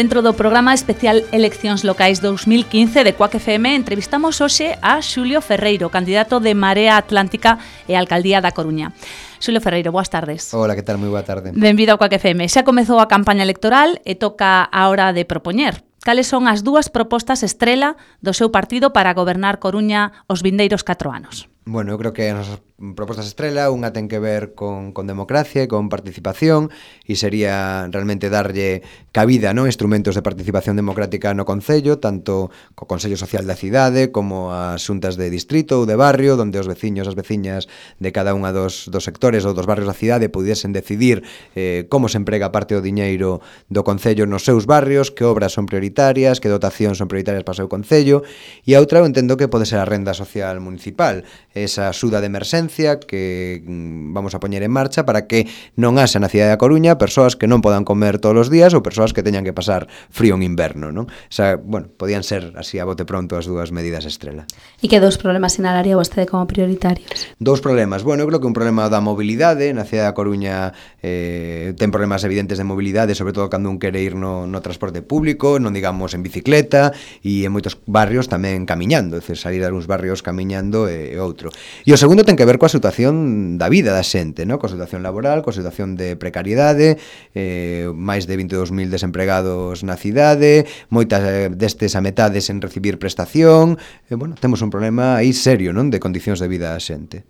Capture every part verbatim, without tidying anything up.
Dentro do programa especial Eleccións Locais dous mil quince de Cuac F M entrevistamos hoxe a Xulio Ferreiro, candidato de Marea Atlántica e Alcaldía da Coruña. Xulio Ferreiro, boas tardes. Hola, que tal? Moi boa tarde. Benvido ao Cuac F M. Xa comezou a campaña electoral e toca a hora de propoñer. Cales son as dúas propostas estrela do seu partido para gobernar Coruña os vindeiros catro anos? Bueno, eu creo que as nosas propostas estrela, unha ten que ver con, con democracia e con participación, e sería realmente darlle cabida, non, instrumentos de participación democrática no Concello, tanto co Consello Social da cidade como as xuntas de distrito ou de barrio, onde os veciños, as veciñas de cada unha dos, dos sectores ou dos barrios da cidade pudiesen decidir eh, como se emprega parte do diñeiro do Concello nos seus barrios, que obras son prioritarias, que dotacións son prioritarias para o seu Concello, e a outra eu entendo que pode ser a renda social municipal, esa axuda de emerxencia que vamos a poñer en marcha para que non haxa na cidade da Coruña persoas que non podan comer todos os días ou persoas que teñan que pasar frío en inverno, non? O sea, bueno, podían ser así a bote pronto as dúas medidas estrela. E que dous problemas sinalaría vostede como prioritarios? Dous problemas. Bueno, eu creo que un problema da mobilidade, na cidade da Coruña eh, ten problemas evidentes de mobilidade, sobre todo cando un quere ir no, no transporte público, non digamos en bicicleta, e en moitos barrios tamén camiñando, é dicir, salir a uns barrios camiñando e, e outro. E o segundo ten que ver coa situación da vida da xente, no? Coa situación laboral, coa situación de precariedade, eh, máis de vinte e dous mil desempregados na cidade, moitas eh, destes a metade sen recibir prestación, e, bueno, temos un problema aí serio, non? De condicións de vida da xente.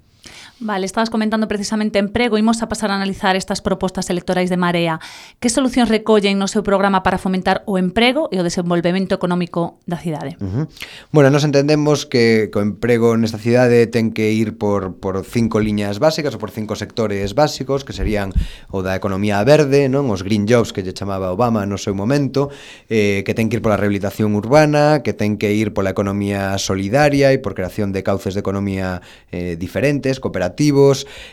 Vale, estabas comentando precisamente emprego, imos a pasar a analizar estas propostas electorais de Marea. Que solucións recollen no seu programa para fomentar o emprego e o desenvolvemento económico da cidade? Uh-huh. Bueno, nos entendemos que o emprego nesta cidade ten que ir por, por cinco liñas básicas ou por cinco sectores básicos, que serían o da economía verde, non, os green jobs que lle chamaba Obama no seu momento, eh, que ten que ir pola rehabilitación urbana, que ten que ir pola economía solidaria e por creación de cauces de economía eh, diferentes, cooperativas,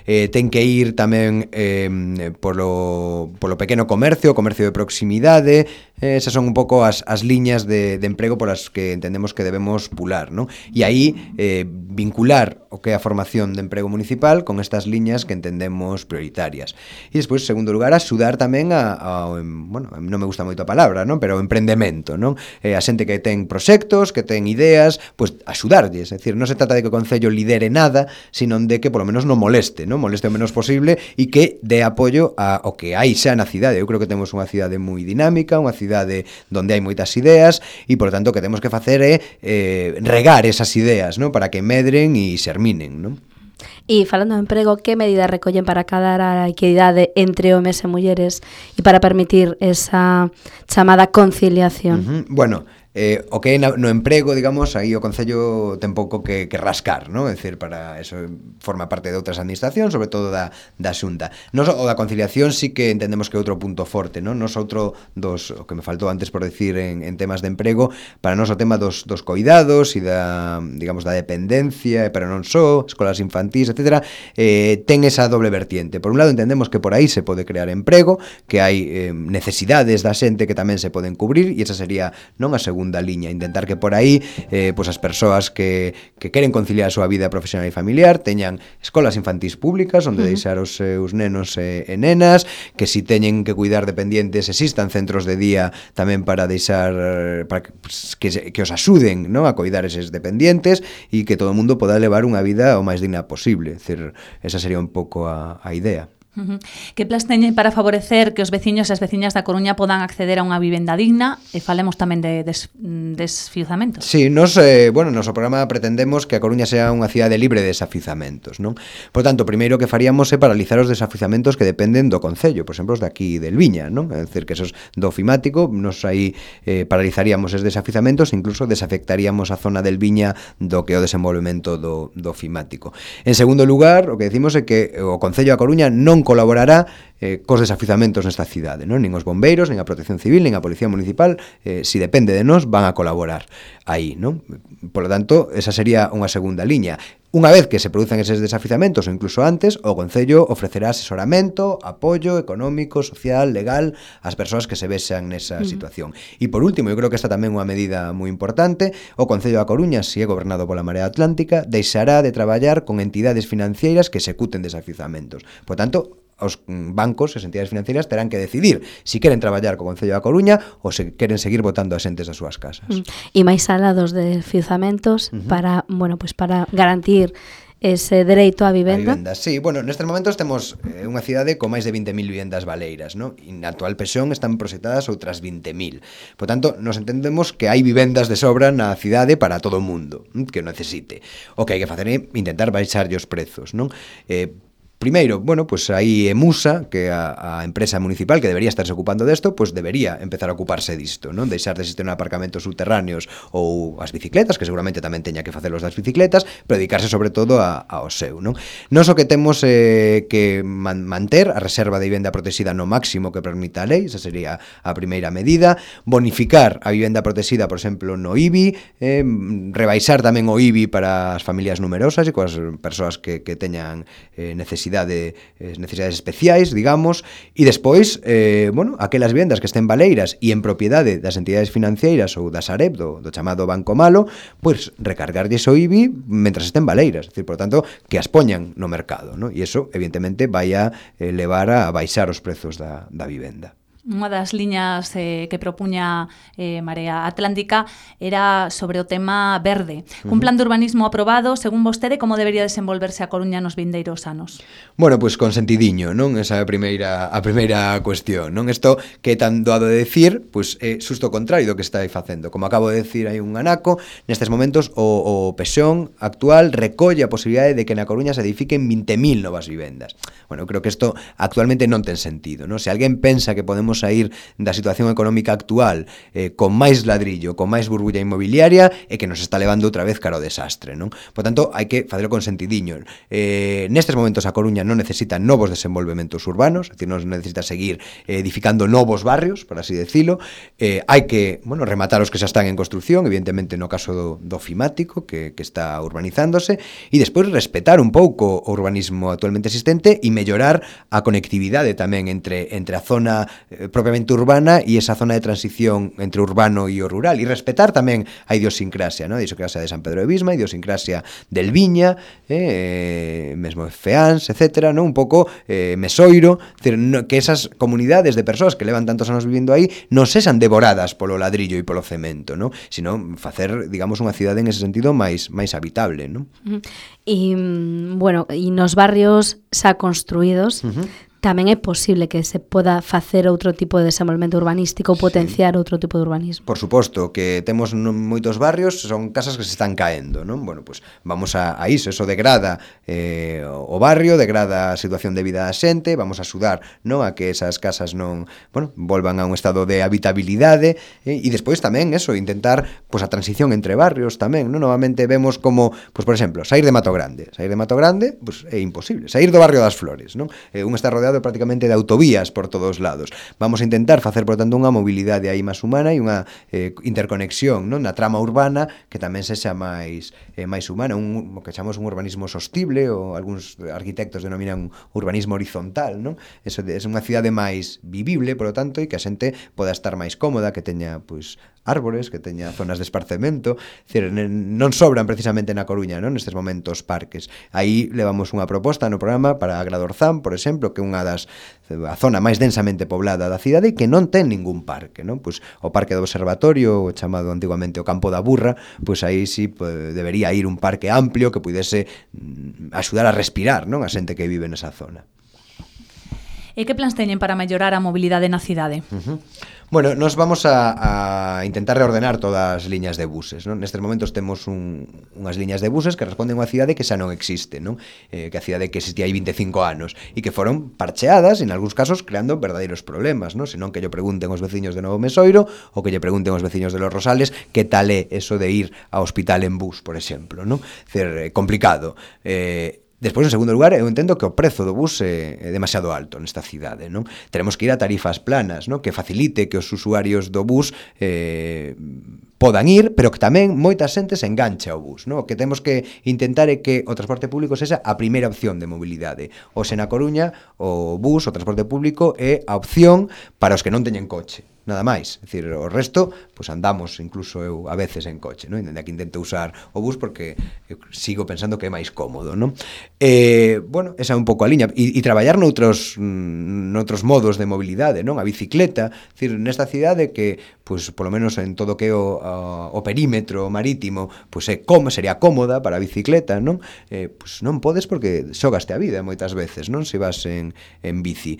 eh, ten que ir tamén eh, polo, polo pequeno comercio, comercio de proximidade, eh, esas son un pouco as, as liñas de, de emprego polas que entendemos que debemos pular, non? E aí eh, vincular o que é a formación de emprego municipal con estas liñas que entendemos prioritarias. E despois, en segundo lugar, axudar tamén a, a, bueno, non me gusta moito a palabra, non? Pero o emprendemento, non? Eh, a xente que ten proxectos, que ten ideas, pois axudarlles, é dicir, non se trata de que o Concello lidere nada, sino de que polo menos non moleste, non moleste o menos posible e que dé apoio ao que hai xa na cidade. Eu creo que temos unha cidade moi dinámica, unha cidade onde hai moitas ideas e, por tanto, que temos que facer é eh, regar esas ideas, non, para que medren e xerminen, non? E falando de emprego, que medidas recollen para acadar a equidade entre homes e mulleres e para permitir esa chamada conciliación? Uh-huh. Bueno, eh, o que é no emprego, digamos, aí o Concello ten pouco que, que rascar, non? É dicir, para eso forma parte de outras administracións, sobre todo da, da Xunta. Nos, o da conciliación sí que entendemos que é outro punto forte, non? Nos outro dos, o que me faltou antes por decir en, en temas de emprego, para nós o tema dos, dos coidados e da, digamos, da dependencia, pero non só, escolas infantís, etcétera, eh, ten esa doble vertiente. Por un lado entendemos que por aí se pode crear emprego, que hai eh, necesidades da xente que tamén se poden cubrir, e esa sería non a segunda liña, intentar que por aí eh, pues as persoas que, que queren conciliar a súa vida profesional e familiar teñan escolas infantís públicas onde uh-huh. deixar os seus nenos e, e nenas, que si teñen que cuidar dependientes existan centros de día tamén para deixar para que, pues, que, que os axuden, ¿no?, a cuidar eses dependientes e que todo o mundo poda levar unha vida o máis digna posible. É dicir, esa sería un pouco a, a idea. Uh-huh. Que plans teñen para favorecer que os veciños e as veciñas da Coruña podan acceder a unha vivenda digna? E falemos tamén de des, desfiuzamentos. Sí, nos, eh, bueno, noso programa pretendemos que a Coruña sea unha cidade libre de desafiuzamentos, non? Por tanto, primeiro que faríamos é paralizar os desafiuzamentos que dependen do Concello, por exemplo, os de aquí del Viña, non? É dicir, que esos do ofimático, nos aí eh, paralizaríamos esos desafiuzamentos, incluso desafectaríamos a zona del Viña do que é o desenvolvemento do, do ofimático. En segundo lugar, o que decimos é que o Concello da Coruña non colaborará eh, cos desafiuzamentos nesta cidade, non? Nin os bombeiros, nin a Protección Civil, nin a Policía Municipal, eh, si depende de nós, van a colaborar aí, non? Por lo tanto, esa sería unha segunda liña. Unha vez que se produzan eses desafiuzamentos ou incluso antes, o Concello ofrecerá asesoramento, apoio económico, social, legal ás persoas que se vexan nesa uh-huh. situación. E por último, eu creo que esta tamén é unha medida moi importante, o Concello da Coruña, se é gobernado pola Marea Atlántica, deixará de traballar con entidades financeiras que executen desafiuzamentos. Por tanto, os bancos, as entidades financieras terán que decidir se si queren traballar co Concello da Coruña ou se queren seguir botando as entes das súas casas. Mm. E máis alá dos desfiuzamentos uh -huh. para, bueno, pues para garantir ese dereito á vivenda. A vivenda, sí. Bueno, nestes momentos temos eh, unha cidade con máis de vinte mil vivendas baleiras, ¿no? E na actual Pexón están proxectadas outras vinte mil. Por tanto, nos entendemos que hai vivendas de sobra na cidade para todo o mundo que necesite. O que hai que facer é intentar baixarlle os prezos, non? Eh, Primeiro, bueno, pues aí Emusa, que a, a empresa municipal que debería estarse ocupando desto, pues debería empezar a ocuparse disto, non? Deixar de existir aparcamentos subterráneos ou as bicicletas, que seguramente tamén teña que facelos das bicicletas, pero dedicarse sobre todo a, ao seu, non? Non só que temos eh, que man, manter a reserva de vivenda protexida no máximo que permita a lei, esa sería a primeira medida, bonificar a vivenda protexida, por exemplo, no I B I, eh, rebaixar tamén o I B I para as familias numerosas e coas persoas que, que teñan eh, necesidade de necesidades especiais, digamos, e despois, eh, bueno, aquelas vivendas que estén baleiras e en propiedade das entidades financeiras ou da Sareb, do, do chamado Banco Malo, pois recargarlles o I B I mentras estén baleiras, é dicir, por tanto, que as poñan no mercado, ¿no? E iso, evidentemente, vai a eh, levar a baixar os prezos da, da vivenda. Unha das liñas eh, que propuña eh, Marea Atlántica era sobre o tema verde. Uh-huh. Un plan de urbanismo aprobado, según vostede, como debería desenvolverse a Coruña nos vindeiros anos? Bueno, pois pues, con sentidiño, non? Esa é a primeira, a primeira cuestión, non? Isto que é tan doado de decir, pois pues, é xusto o contrario do que está aí facendo. Como acabo de decir, hai un anaco, nestes momentos o, o Pexón actual recolle a posibilidade de que na Coruña se edifiquen vinte mil novas vivendas. Bueno, eu creo que isto actualmente non ten sentido, non? Se alguén pensa que podemos sair da situación económica actual eh, con máis ladrillo, con máis burbulla inmobiliaria, e que nos está levando outra vez cara ao desastre, non? Por tanto, hai que facelo con sentidiño. Eh, nestes momentos a Coruña non necesita novos desenvolvementos urbanos, é dicir, non necesita seguir eh, edificando novos barrios, por así decirlo. Eh, hai que, bueno, rematar os que xa están en construcción, evidentemente no caso do, do Fimático, que, que está urbanizándose, e despois respetar un pouco o urbanismo actualmente existente e mellorar a conectividade tamén entre, entre a zona eh, propiamente urbana e esa zona de transición entre urbano e o rural, e respetar tamén a idiosincrasia, ¿no? A idiosincrasia de San Pedro de Bisma, a idiosincrasia del Viña, eh, mesmo Feáns, etcétera, ¿no? Un pouco eh, Mesoiro, decir, no, que esas comunidades de persoas que levan tantos anos vivindo aí non sexan devoradas polo ladrillo e polo cemento, ¿no? Sino facer, digamos, unha cidade en ese sentido máis máis habitable, ¿no? E, bueno, e nos barrios xa construídos, uh-huh, tamén é posible que se poda facer outro tipo de desenvolvemento urbanístico ou potenciar sí. outro tipo de urbanismo. Por suposto, que temos moitos barrios, son casas que se están caendo, non? Bueno, pues vamos a, a iso, eso degrada eh, o barrio, degrada a situación de vida da xente, vamos a axudar, non, a que esas casas non, bueno, volvan a un estado de habitabilidade, eh, e despois tamén eso, intentar pues a transición entre barrios tamén, non? Novamente vemos como, pues por exemplo, sair de Mato Grande, sair de Mato Grande, pues é imposible, sair do barrio das Flores, non? Eh, un está rodeado prácticamente de autovías por todos lados. Vamos a intentar facer, por tanto, unha mobilidade aí máis humana e unha eh, interconexión, non, na trama urbana que tamén sexa máis eh, máis humana, un, o que chamamos un urbanismo sostible, ou algúns arquitectos denominan un urbanismo horizontal, non? Eso de, é unha cidade máis vivible, por lo tanto, e que a xente poda estar máis cómoda, que teña, pois, árbores, que teña zonas de esparcemento, decir, non sobran precisamente na Coruña, non, nestes momentos parques. Aí levamos unha proposta no programa para Agradorzán, por exemplo, que é unha das a zona máis densamente poblada da cidade e que non ten ningún parque, non? Pois o parque do observatorio, o chamado antiguamente o Campo da Burra, pois aí sí pues, debería ir un parque amplio que pudese mm, axudar a respirar, non, a xente que vive nesa zona. E que plans teñen para mellorar a mobilidade na cidade? Uh-huh. Bueno, nos vamos a, a intentar reordenar todas as liñas de buses, non? Nestes momentos temos un, unhas liñas de buses que responden a unha cidade que xa non existe, non? Eh, que a cidade que existía hai vinte e cinco anos e que foron parcheadas, en algúns casos creando verdadeiros problemas, non? Senón que lle pregunten aos veciños de Novo Mesoiro ou que lle pregunten aos veciños de Los Rosales que tal é eso de ir ao hospital en bus, por exemplo, non? Cer, complicado. Eh, Despois, en segundo lugar, eu entendo que o prezo do bus é, é demasiado alto nesta cidade, non? Teremos que ir a tarifas planas, non? Que facilite que os usuarios do bus eh, podan ir, pero que tamén moita xente se enganche ao bus, non? O que temos que intentar é que o transporte público sexa a primeira opción de mobilidade. Hoxe na Coruña, o bus, o transporte público, é a opción para os que non teñen coche. nada máis. É dicir, o resto, pois andamos, incluso eu a veces en coche, non? Dende que intento usar o bus porque eu sigo pensando que é máis cómodo, non? Eh, bueno, esa é un pouco a liña. E, e traballar noutros, noutros modos de mobilidade, non? A bicicleta, é dicir, nesta cidade que, pois, polo menos en todo o que é o, o perímetro marítimo, pois é como sería cómoda para a bicicleta, non? Eh, pois non podes porque xogaste a vida moitas veces, non? Se vas en, en bici.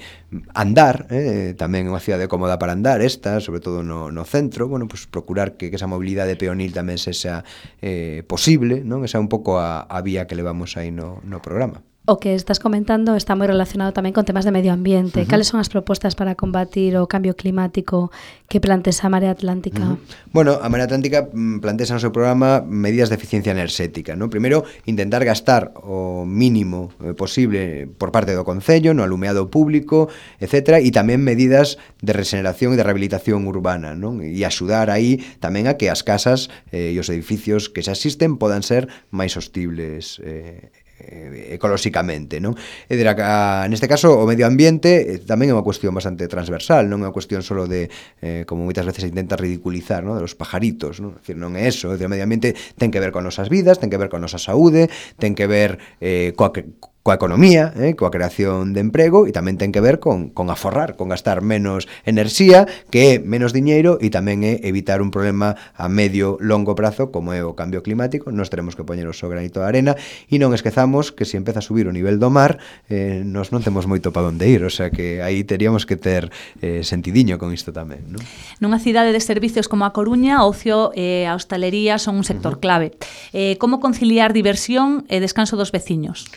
Andar, eh, tamén é unha cidade cómoda para andar, esta, sobre todo no, no centro, bueno, pois procurar que, que esa mobilidade peonil tamén sexa eh, posible, non? Esa é un pouco a, a vía que levamos aí no, no programa. O que estás comentando está moi relacionado tamén con temas de medio ambiente. Uh-huh. Cales son as propostas para combatir o cambio climático que plantea a Marea Atlántica? Uh-huh. Bueno, a Marea Atlántica plantea no seu programa medidas de eficiencia enerxética, ¿no? Primeiro, intentar gastar o mínimo posible por parte do Concello, no alumeado público, etcétera, e tamén medidas de regeneración e de rehabilitación urbana, ¿no? E axudar aí tamén a que as casas eh, e os edificios que xa existen podan ser máis sostibles eh, ecolóxicamente, non? É dicir, a, neste caso o medio ambiente eh, tamén é unha cuestión bastante transversal, non é unha cuestión solo de, eh, como moitas veces se intenta ridiculizar, non? De los pajaritos, non? É dicir, non é eso, é dicir, o medio ambiente ten que ver con nosas vidas, ten que ver con nosa saúde, ten que ver eh, coa que coa economía, eh, coa creación de emprego e tamén ten que ver con, con aforrar, con gastar menos enerxía, que é menos diñeiro e tamén é evitar un problema a medio longo prazo como é o cambio climático. Nós teremos que poñer o seu granito de arena e non esquezamos que se empeza a subir o nivel do mar eh, nos non temos moito para onde ir, o sea que aí teríamos que ter eh, sentidiño con isto tamén, non? Nunha cidade de servicios como a Coruña, o ocio e a hostalería son un sector uh-huh. clave. Eh, como conciliar diversión e descanso dos veciños?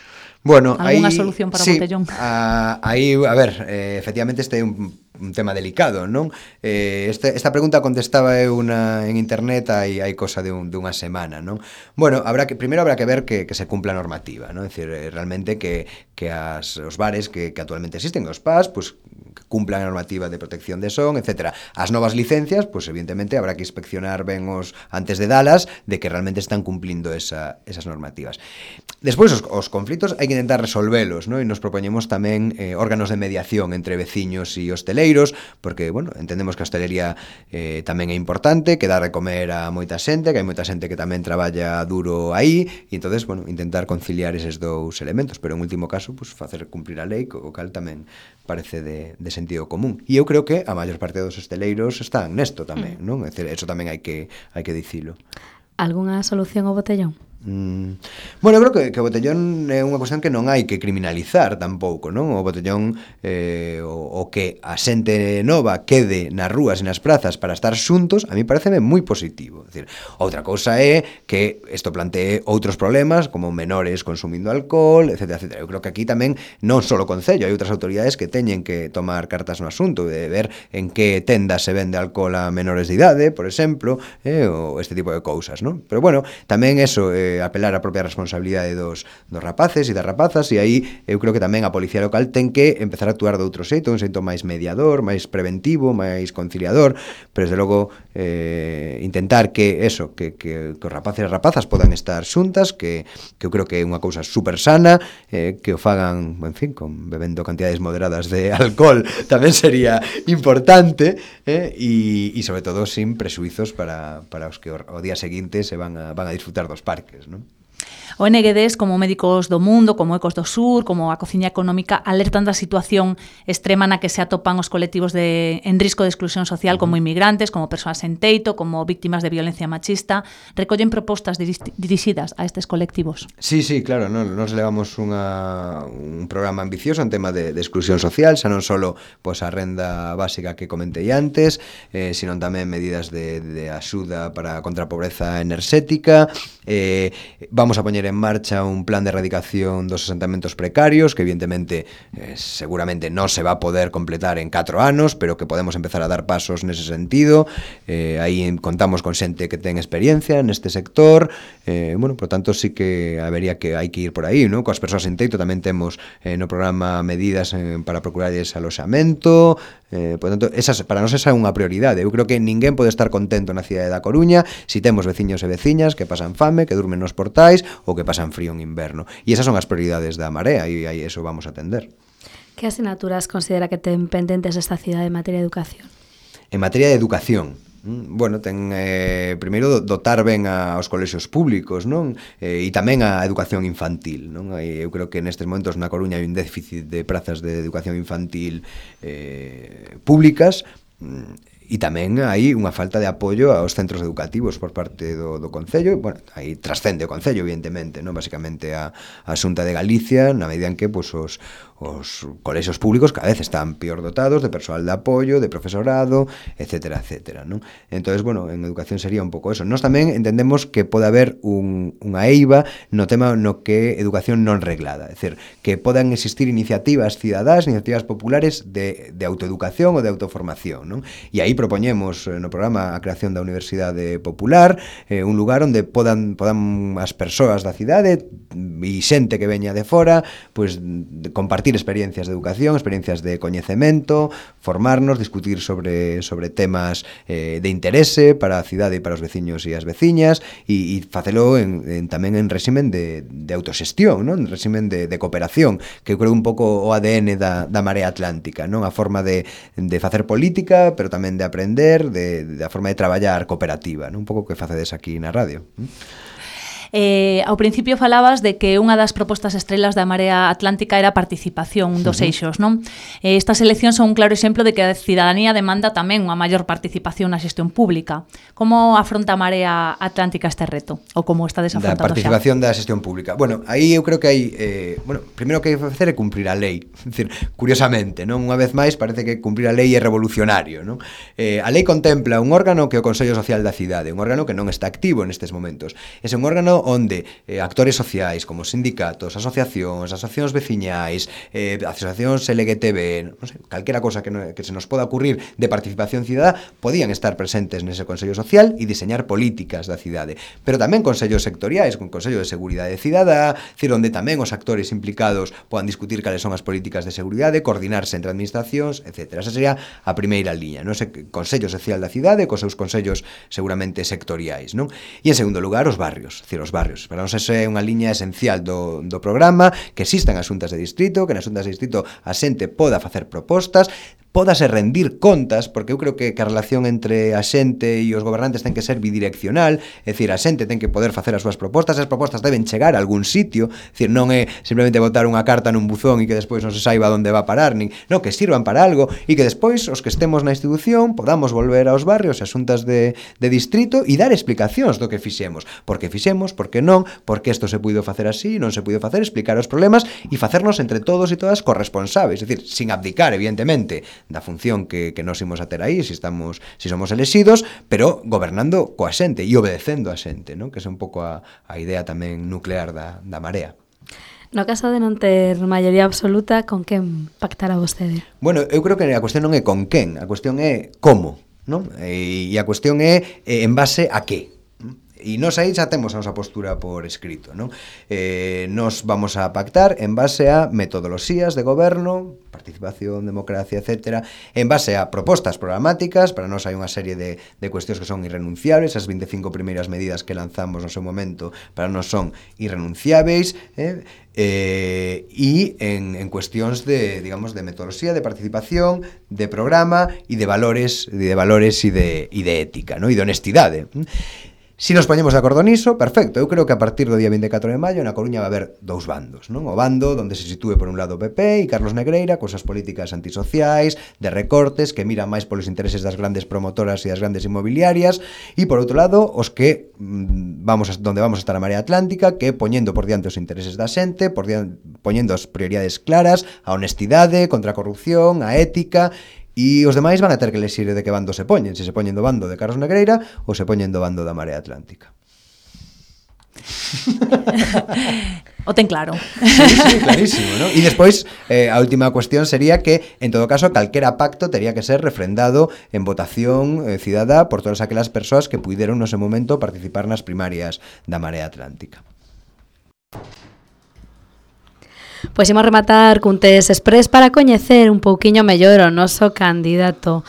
Bueno, ¿Alguna aí, solución para sí, o botellón? A, aí, a ver, eh, efectivamente este é un, un tema delicado, non? Eh, este, esta pregunta contestaba eu una, en internet hai, hai cosa de, un, de unha semana, non? Bueno, habrá que, primeiro habrá que ver que, que se cumpla a normativa, non? É dicir, eh, realmente que, que as, os bares que, que actualmente existen, os P A S, pues, que cumplan a normativa de protección de son, etcétera. As novas licencias, pues evidentemente habrá que inspeccionar ben os antes de dalas de que realmente están cumplindo esa, esas normativas. Despois os, os conflitos hai que intentar resolvelos, ¿no? E nos propoñemos tamén eh, órganos de mediación entre veciños e hosteleiros, porque, bueno, entendemos que a hostelería eh, tamén é importante, que dá de comer a moita xente, que hai moita xente que tamén traballa duro aí, e entonces, bueno, intentar conciliar eses dous elementos, pero en último caso, pues, facer cumplir a lei, o cal tamén parece de, de sentido común. E eu creo que a maior parte dos hosteleiros están nesto tamén, non? É dicir, eso tamén hai que, hai que dicilo. Algunha solución ao botellón? Mm. Bueno, eu creo que, que o botellón é unha cuestión que non hai que criminalizar tampouco, non? O botellón eh, o, o que a xente nova quede nas rúas e nas prazas para estar xuntos, a mí pareceme moi positivo. É dicir, outra cousa é que isto plantee outros problemas como menores consumindo alcohol, etcétera, etcétera. Eu creo que aquí tamén non só o Concello, hai outras autoridades que teñen que tomar cartas no asunto, de ver en que tendas se vende alcohol a menores de idade, por exemplo, eh, ou este tipo de cousas, non? Pero bueno, tamén eso eh, apelar a propia responsabilidade dos, dos rapaces e das rapazas, e aí eu creo que tamén a policía local ten que empezar a actuar de outro xeito, un xeito máis mediador, máis preventivo, máis conciliador, pero desde logo eh, intentar que eso, que, que, que os rapaces e as rapazas podan estar xuntas, que, que eu creo que é unha cousa super sana, eh, que o fagan, en fin, con bebendo cantidades moderadas de alcohol tamén sería importante, eh, e, e sobre todo sin presuizos para, para os que o, o día seguinte se van a, van a disfrutar dos parques, ¿no? O N G Ds, como Médicos do Mundo, como Ecos do Sur, como a Cociña Económica, alertan da situación extrema na que se atopan os colectivos de, en risco de exclusión social, como inmigrantes, como persoas en teito, como víctimas de violencia machista. Recollen propostas dirixidas a estes colectivos. Sí, sí, claro, no, nos levamos unha, un programa ambicioso en tema de, de exclusión social, xa non só pois, a renda básica que comentei antes, eh, sino tamén medidas de, de axuda para contra a pobreza enerxética. Eh, vamos a poñer en marcha un plan de erradicación dos asentamentos precarios que evidentemente eh, seguramente non se va a poder completar en catro anos, pero que podemos empezar a dar pasos nese sentido. Eh, aí contamos con xente que ten experiencia neste sector, eh, bueno, por tanto sí que habería que hai que ir por aí, ¿no? Coas persoas en teito tamén temos eh, no programa medidas eh, para procurarles aloxamento, eh, por tanto, esas, para nós esa é unha prioridade. Eu creo que ninguén pode estar contento na cidade da Coruña se si temos veciños e veciñas que pasan fame, que durmen nos portais ou que pasan frío en inverno. E esas son as prioridades da Marea e aí eso vamos a atender. Que asignaturas considera que ten pendentes esta cidade en materia de educación? En materia de educación, bueno, ten eh, primeiro dotar ben aos colexios públicos, non? Eh, e tamén a educación infantil, non? E eu creo que nestes momentos na Coruña hai un déficit de prazas de educación infantil eh, públicas, e tamén hai unha falta de apoio aos centros educativos por parte do, do Concello. Bueno, aí trascende o Concello, evidentemente, non? Basicamente a, a Xunta de Galicia, na medida en que pues, os, os colexios públicos cada vez están peor dotados de persoal de apoio, de profesorado, etcétera, etcétera, non? Entonces, bueno, en educación sería un pouco eso. Nós tamén entendemos que pode haber un, unha eiva no tema no que educación non reglada, é dicir, que podan existir iniciativas cidadás, iniciativas populares de, de autoeducación ou de autoformación, non? E aí propoñemos no programa a creación da Universidade Popular, eh, un lugar onde podan, podan as persoas da cidade e xente que veña de fora pues, de compartir experiencias de educación, experiencias de coñecemento, formarnos, discutir sobre, sobre temas eh, de interese para a cidade e para os veciños e as veciñas e, e facelo en, en, tamén en réximen de, de autoxestión, non? En réximen de, de cooperación, que eu creo un pouco o A D N da, da Marea Atlántica, non? A forma de, de facer política, pero tamén de aprender, de, de a forma de traballar cooperativa, non? Un pouco que facedes aquí na radio. Eh, ao principio falabas de que unha das propostas estrelas da Marea Atlántica era a participación, un dos uh-huh. eixos, non? Eh, estas eleccións son un claro exemplo de que a cidadanía demanda tamén unha maior participación na xestión pública. Como afronta a Marea Atlántica este reto? Ou como está desafrontando xa? Da participación xa? Da xestión pública. Bueno, aí eu creo que hai... Eh, bueno, primeiro que hai que facer é cumprir a lei. É dicir, curiosamente, non? Unha vez máis parece que cumprir a lei é revolucionario, non? Eh, a lei contempla un órgano que é o Consello Social da Cidade, un órgano que non está activo nestes momentos. É un órgano onde eh, actores sociais como sindicatos, asociacións, asociacións veciñais, eh, asociacións L G T B, non sei, calquera cosa que, no, que se nos poda ocurrir de participación cidadá, podían estar presentes nese Consello Social e diseñar políticas da cidade. Pero tamén consellos sectoriais, con Consello de Seguridade Cidadá, decir, onde tamén os actores implicados podan discutir cales son as políticas de seguridade, coordinarse entre administracións, etcétera. Esa sería a primeira liña, non? Ese Consello Social da cidade, cos seus consellos seguramente sectoriais, non? E en segundo lugar, os barrios, decir, os barrios. Para nós esa é unha liña esencial do, do programa, que existan as xuntas de distrito, que nas xuntas de distrito a xente poda facer propostas, pódase rendir contas, porque eu creo que, que a relación entre a xente e os gobernantes ten que ser bidireccional, é dicir, a xente ten que poder facer as súas propostas, as propostas deben chegar a algún sitio, é dicir, non é simplemente botar unha carta nun buzón e que despois non se saiba onde va a parar, nin, non, que sirvan para algo e que despois os que estemos na institución podamos volver aos barrios e as xuntas de, de distrito e dar explicacións do que fixemos, por que fixemos, por que non, por que isto se puido facer así, non se puido facer, explicar os problemas e facernos entre todos e todas corresponsables, é dicir, sin abdicar, evidentemente, da función que, que nos imos a ter aí, se estamos, se somos elexidos, pero gobernando coa xente e obedecendo a xente, non? Que é un pouco a, a idea tamén nuclear da, da Marea. No caso de non ter maioría absoluta, con quen pactará vostede? Bueno, eu creo que a cuestión non é con quen, a cuestión é como, non? E, e a cuestión é en base a que. E nós aí xa temos a nosa postura por escrito, non? Eh, nos vamos a pactar en base a metodoloxías de goberno, participación, democracia, etcétera, en base a propostas programáticas. Para nós hai unha serie de, de cuestións que son irrenunciables, as vinte e cinco primeiras medidas que lanzamos no seu momento para nós son irrenunciables, eh? Eh, e en, en cuestións de, digamos, de metodoloxía, de participación, de programa e de valores, de valores e de, e de ética, non? E de honestidade. Si nos poñemos de acordo niso, perfecto. Eu creo que a partir do día vinte e catro de maio na Coruña vai haber dous bandos, non? O bando onde se sitúe por un lado o P P e Carlos Negreira cos as políticas antisociais, de recortes, que miran máis polos intereses das grandes promotoras e das grandes inmobiliarias, e por outro lado, os que mmm, vamos a, donde vamos a estar a Marea Atlántica, que poñendo por diante os intereses da xente, por diante, poñendo as prioridades claras, a honestidade, contra a corrupción, a ética. E os demais van a ter que elegir de que bando se poñen, se se poñen do bando de Carlos Negreira ou se poñen do bando da Marea Atlántica. O ten claro. Sí, sí, clarísimo, ¿no? E despois, eh, a última cuestión sería que, en todo caso, calquera pacto tería que ser refrendado en votación eh, cidadá por todas aquelas persoas que puideron no ese momento participar nas primarias da Marea Atlántica. Pois imos rematar cun test express para coñecer un pouquiño mellor o noso candidato.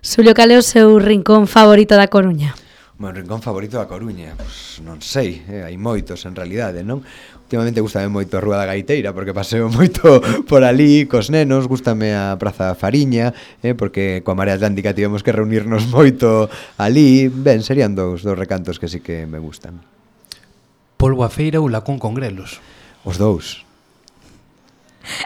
Xulio, cal é o seu rincón favorito da Coruña? O meu rincón favorito da Coruña, pois non sei, eh, hai moitos en realidade, non? Últimamente gustame moito a Rúa da Gaiteira porque paseo moito por ali cos nenos, gustame a Praza Fariña, eh, porque coa Marea Atlántica tivemos que reunirnos moito ali. Ben, serían dous, dous recantos que sí que me gustan. Polbo a feira ou lacón con grelos? Os dous.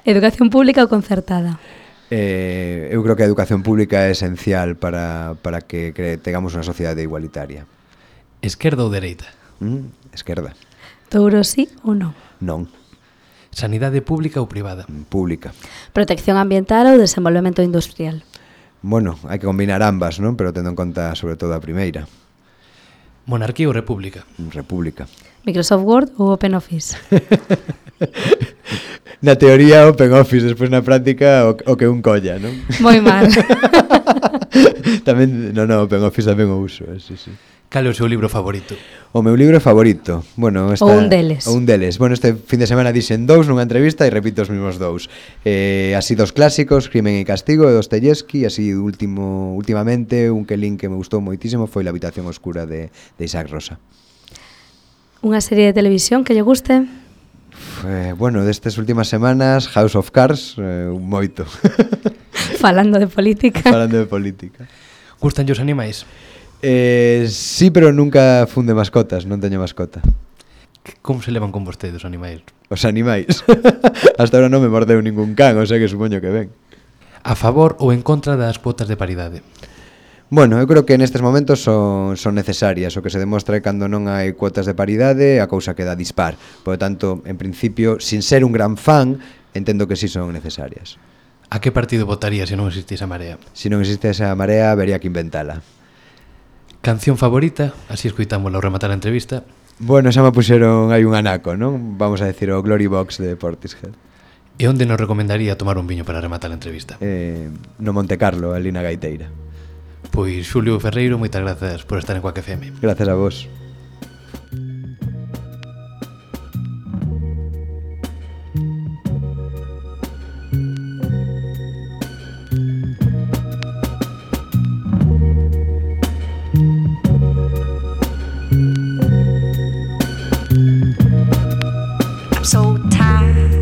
Educación pública ou concertada? Eh, eu creo que a educación pública é esencial para, para que, que tengamos unha sociedade igualitaria. Esquerda ou dereita? Mm, esquerda. Touro sí ou non? Non. Sanidade pública ou privada? Pública. Protección ambiental ou desenvolvemento industrial? Bueno, hai que combinar ambas, non? Pero tendo en conta sobre todo a primeira. Monarquía ou república? República. Microsoft Word ou OpenOffice? Na teoría Open Office, despois na práctica o, o que un colla, non? Moi mal. Tamén, non, non, Open Office tamén o uso, eh, sí, sí. Cal é o seu libro favorito? O meu libro favorito, bueno, esta, Ou un deles. Ou un deles. Bueno, este fin de semana dixen dous nunha entrevista e repito os mesmos dous. Eh, así dos clásicos, Crimen e Castigo de Dostoyevsky, así último, últimamente un que lin que me gustou moitísimo foi La habitación oscura de, de Isaac Rosa. Unha serie de televisión que lle guste? Eh, bueno, destas últimas semanas House of Cards, eh, moito. Falando de política. Falando de política. Gustan os animais? Eh, sí, pero nunca funde mascotas, non teño mascota. Como se levan con vostedes os animais? Os animais. Hasta ahora non me mordeu ningún can, o sea que supoño que ven. A favor ou en contra das cuotas de paridade? Bueno, eu creo que nestes momentos son, son necesarias. O que se demostra é cando non hai cuotas de paridade, a cousa queda dispar. Por tanto, en principio, sin ser un gran fan, entendo que sí son necesarias. A que partido votaría se non existise a Marea? Se non existe esa marea, habería que inventala. Canción favorita? Así escoitámosla ao rematar a entrevista. Bueno, xa me puxeron hai un anaco, non? Vamos a decir o Glory Box de Portishead. E onde nos recomendaría tomar un viño para rematar a entrevista? Eh, no Monte Carlo, ali na Gaiteira. Pois Xulio Ferreiro, moitas grazas por estar en Quack F M. Gracias a vos. I'm so tired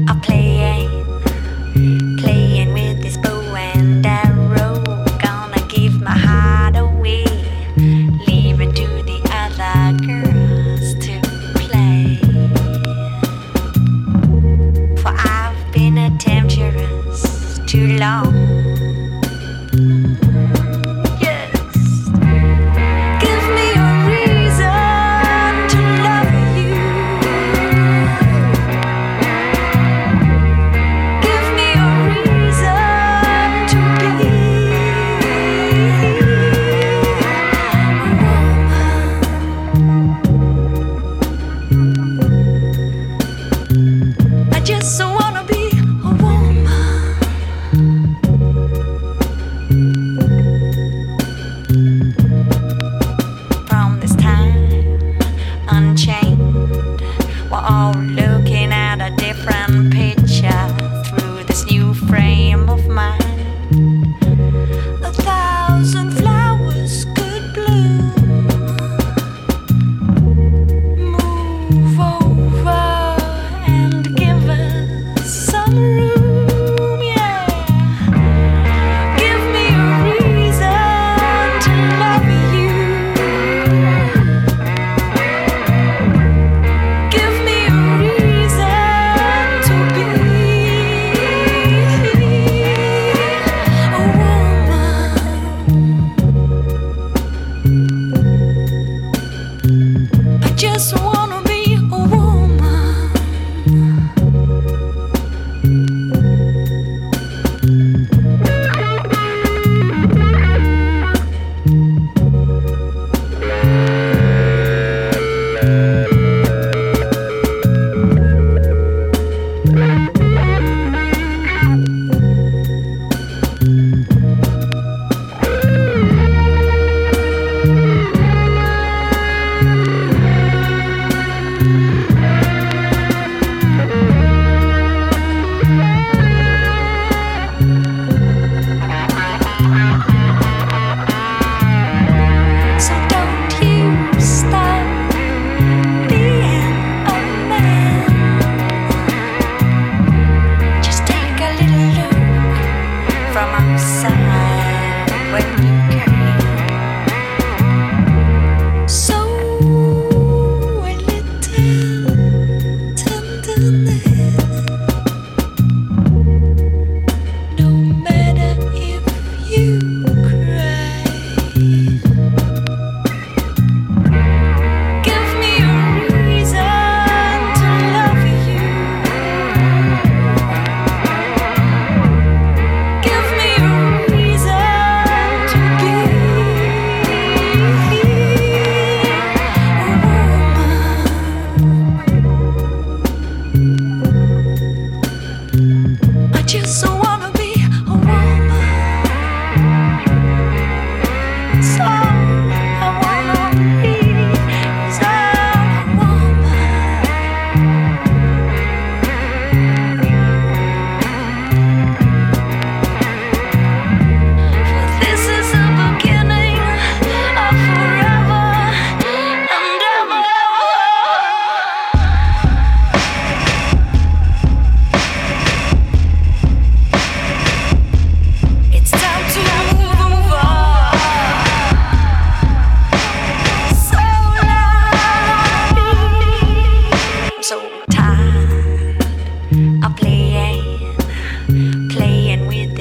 of playing, playing with this bow and arrow. Gonna give my heart away, leave it to the other girls to play. For I've been a temptress too long.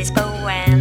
this bow and